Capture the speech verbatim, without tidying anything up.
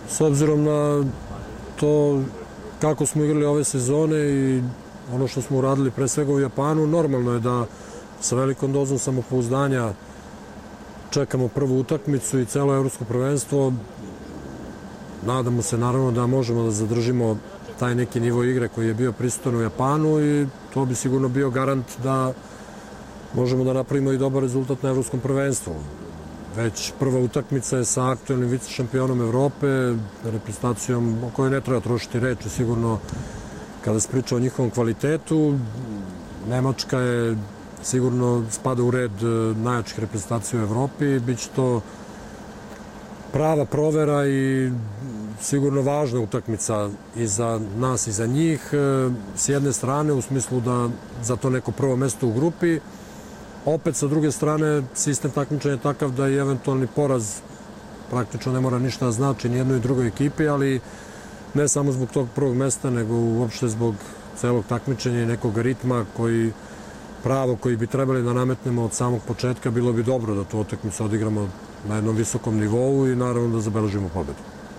S obzirom na to kako smo igrali ove sezone i ono što smo uradili pre svega u Japanu, normalno je da sa velikom dozom samopouzdanja čekamo prvu utakmicu i celo evropsko prvenstvo. Nadamo se naravno da možemo da zadržimo taj neki nivo igre koji je bio prisutan u Japanu i to bi sigurno bio garant da možemo da napravimo i dobar rezultat na evropskom prvenstvu. Već prva utakmica je sa aktuelnim vice šampionom Evrope, reprezentacijom o kojoj ne treba trošiti reči sigurno kada se priča o njihovom kvalitetu. Nemačka je sigurno spada u red najjačih reprezentacija u Evropi. Biće to prava provera i sigurno važna utakmica i za nas i za njih. S jedne strane u smislu da za to neko prvo mesto u grupi, opet sa druge strane sistem takmičenja je takav da i eventualni poraz praktično ne mora ništa da znači ni jednoj i drugoj ekipi, ali ne samo zbog tog prvog mesta, nego uopšte zbog celog takmičenja i nekog ritma koji pravo koji bi trebali da nametnemo od samog početka. Bilo bi dobro da tu utakmicu odigramo na jednom visokom nivou i naravno da zabeležimo pobedu.